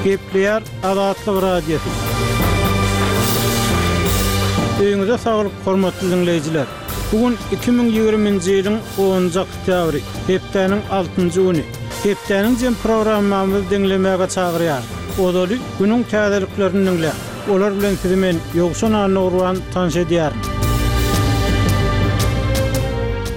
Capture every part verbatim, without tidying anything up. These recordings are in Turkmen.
Gepleýär Azatlyk Radiosy. Öýüňize saglyk, hormatly diňleýjiler. Bu gün iki müň ýigriminji ýylyň onunjy oktýabry, hepdäniň altynjy güni. Hepdäniň jem programmamyzy diňlemäge çagyrýarys. Ozaly günüň täzeliklerini diňläň. Olar bilen sizi men Ýowşan Annagurban tanyş edýärin.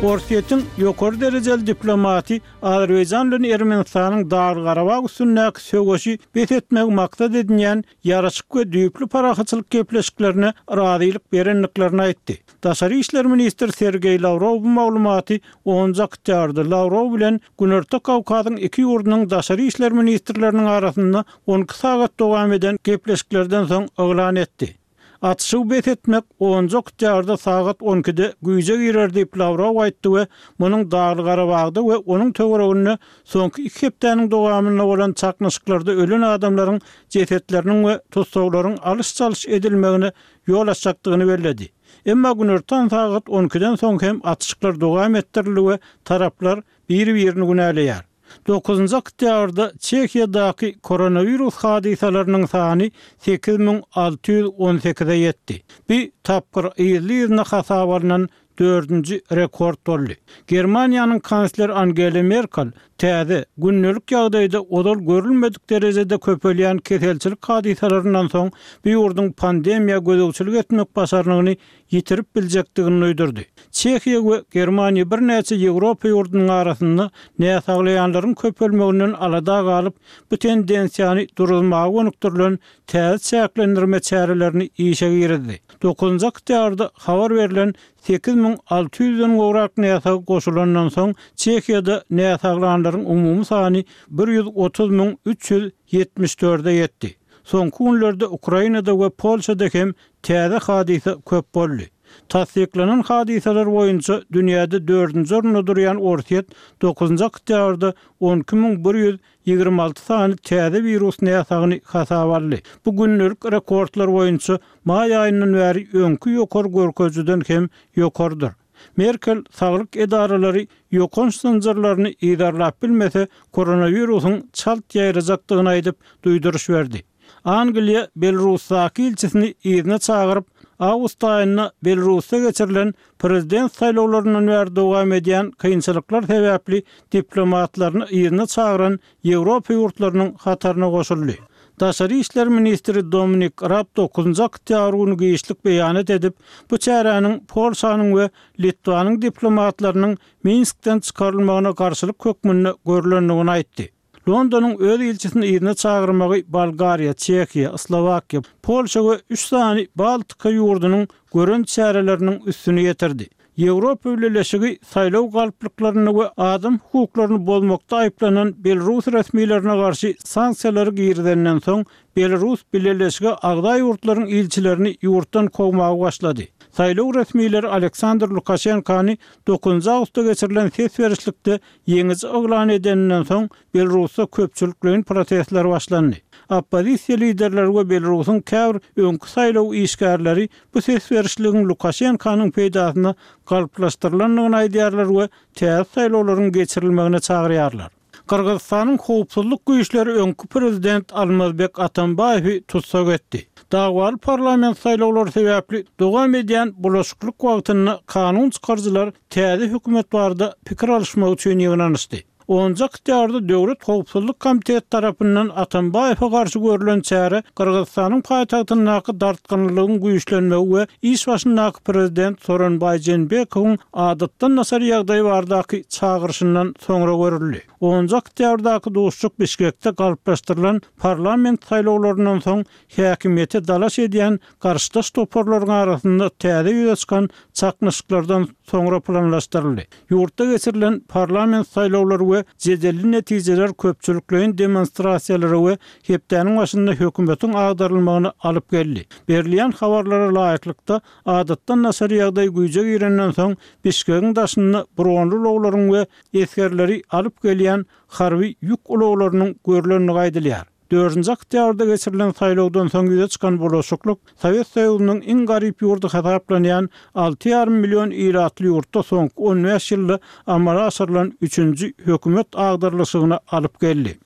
Orsýetiň ýokary derejeli diplomaty Azerbaýjan bilen Ermenistanyň Dagly-Garabag üstündäki söweşi bes etmegi maksat edinýän ýaraşyk we düýpli parahatçylyk gepleşiklerine razylyk berendiklerini aýtdy. Daşary işler ministri Sergeý Lawrow bu maglumaty onunjy oktýabrda Lawrow bilen Günorta Kawkazyň iki ýurdunyň daşary işler ministrleriniň arasynda on iki sagat dowam eden gepleşiklerden soň yglan etdi. Atyşygy bes etmek onunjy oktýabrda sagat on ikide güýje girer diýip Lawrow aýtdy we munuň Dagly-Garabagda we onuň töwereginde soňky iki hepdäniň dowamynda bolan çaknyşyklarda ölen adamlaryň jesetleriniň we tussaglaryň alyş-çalyş edilmegine ýol açjakdygyny belledi. Emma günortan sagat on ikiden soň hem atyşyklar dowam etdirildi we taraplar biri-birini günäleýär. Dokuzynjy oktýabrda Çehiýadaky koronawirus hadysalarynyň sany sekiz müň alty ýüz on sekize ýetdi. Bu tapgyr yzly-yzyna hasaba alnan dördünji rekord boldy. Germaniýanyň kansleri Angela Merkel täze, gündelik ýagdaýda ozal görülmedik derejede köpelýän keselçilik hadysalaryndan soň bu ýurduň pandemiýa gözegçilik etmek başarnygyny ýitirip biljekdigini duýdurdy. Çehiýa we Germaniýa birnäçe Ýewropa ýurdunyň arasynda näsaglaýanlaryň köpelmeginden alada galyp, bu tendensiýany duruzmaga gönükdirilen täze çäklendirme çärelerini işe girizdi. Dokuzynjy oktýabrda habar berlen sekiz müň alty ýüzden gowrak näsag goşulandan soň Çehiýada näsaglanlaryň umumy sany bir ýüz otuz müň üç ýüz ýetmiş dörde ýetdi. Soňky günlerde Ukrainada we Polşada hem täze hadysa köp boldy. Tassyklanan hadysalar boýunça dünýäde dördünji orunda durýan Orsýet dokuzynjy oktýabrda on iki müň bir ýüz ýigrimi alty sany täze wirus näsagyny hasaba aldy. Bu gündelik rekordlar boýunça maý aýyndan bäri öňki ýokary görkezijiden hem ýokarydyr. Merkel saglyk edaralary ýokanç zynjyrlaryny yzarlap bilmese, koronawirusyň çalt ýaýrajakdygyny aýdyp, duýduryş berdi. Angliýa Belarusdaky ilçisini yzyna çagyryp, awgust aýynda Belarusda geçirilen prezident saýlawlaryndan bäri dowam edýän kynçylyklar sebäpli diplomatlaryny yzyna çagyran Ýewropa ýurtlarynyň hataryna goşuldy. Daşary işler ministri Dominik Raab dokuzynjy oktýabr güni giçlik beýanat edip, bu çäräniň Polşanyň we Litwanyň diplomatlarynyň Minskden çykarylmagyna garşylyk hökmünde görlendigini aýtdy. Londonyň öz ilçisini yzyna çagyrmagy Bolgariýa, Çehiýa, Slowakiýa, Polşa we üç sany Baltika ýurdunyň gören çäreleriniň üstüni ýetirdi. Ýewropa Bileleşigi saýlaw galplyklarynda we adam hukuklaryny bozmakda aýyplanan Belarus resmilerine garşy sanksiýalary girizenden soň, Belarus Bileleşige agza ýurtlaryň ilçilerini ýurtdan kowmaga başlady. Saýlaw resmileri Aleksandr Lukaşenkany dokuzynjy awgustda geçirilen ses berişlikde ýeňiji yglan edeninden soň, Belarusda köpçülikleýin protestler başlandy. Oppozisiýa liderleri we Belarusyň käbir öňki saýlaw işgärleri bu ses berişligiň Lukaşenkanyň peýdasyna galplaşdyrylandygyny aýdýarlar we täze saýlawlaryň geçirilmegine çagyrýarlar. Gyrgyzystanyň howpsuzlyk güýçleri öňki prezident Almazbek Atambaýewi tussag etdi. Dawaly parlament saýlawlary sebäpli dowam edýän bulaşyklyk wagtynda kanun çykaryjylar täze hökümet barada pikir alyşmak üçin ýygnanyşdy. Onunjy oktýabrda Döwlet howpsuzlyk komiteti tarapyndan Atambaýewe garşy görülen çäre Gyrgyzystanyň paýtagtyndaky dartgynlygyň güýçlenmegi we iş başyndaky prezident Soronbaý Jeenbekowyň adatdan daşary ýagdaý baradaky çagyryşyndan soňra görüldi. Onunjy oktýabrdaky duşuşyk Bişkekde galplaşdyrylan parlament saýlawlaryndan soň häkimiýete dalaş edýän garşydaş toparlaryň arasynda täze ýüze çykan çaknyşyklardan soňra planlaşdyryldy. Ýurtda geçirilen parlament saýlawlary we jedelli netijeler köpçülikleýin demonstrasiýalara we hepdäniň başynda hökümetiň agdarylmagyna alyp geldi. Berilýän habarlara laýyklykda, adatdan daşary ýagdaý güýje girenden soň Bişkegiň daşynda bronly ulaglaryň we esgerleri alyp gelýän harby ýük ulaglarynyň görlendigi aýdylýar. Dördünji oktýabrda geçirilen saýlawdan soň ýüze çykan bulaşyklyk Sowet Soýuzynyň iň garyp ýurdy hasaplanýan alty ýarym million ilatly ýurtda soňky on bäş ýylda amala aşyrylan üçünji hökümet agdarylyşygyna alyp geldi.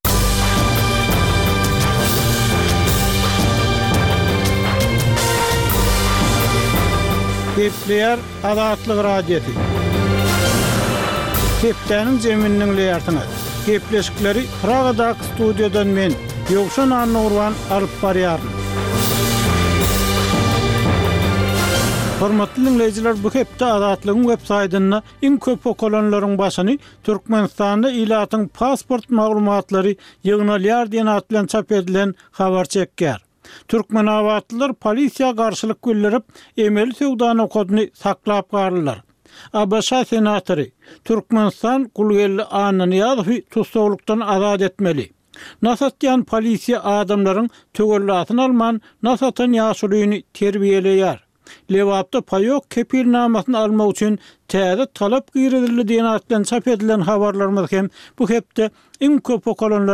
Gepleýär Azatlyk Radiosy. Hepdäniň jemini diňleýärsiňiz. Gepleşikleri Pragadaky studiýadan men, Ýowşan Annagurban alyp barýaryn. Hormatly diňleýjiler, bu hepde Azatlygyň web saýtynda iň köp okalanlaryň başyny Türkmenistanda ilatyň pasport maglumatlary ýygnalýar diýen at bilen çap edilen habar çekýär. Türkmenabatlylar polisiýa garşylyk bildirip, emeli söwda nokadyny saklap galdylar. ABŞ senatory, Türkmenistan Gulgeldi Annanyýazowy tussaglykdan azat etmeli. Nas atýan polisiýa adamlaryň töwellasyny alman, nas atan ýaşulyny terbiýeleýär. Lebapda paýok kepilnamasyny almak üçin täze talap girizildi diýen at bilen çap edilen habarlarymyz hem bu hepde iň köp okalanlar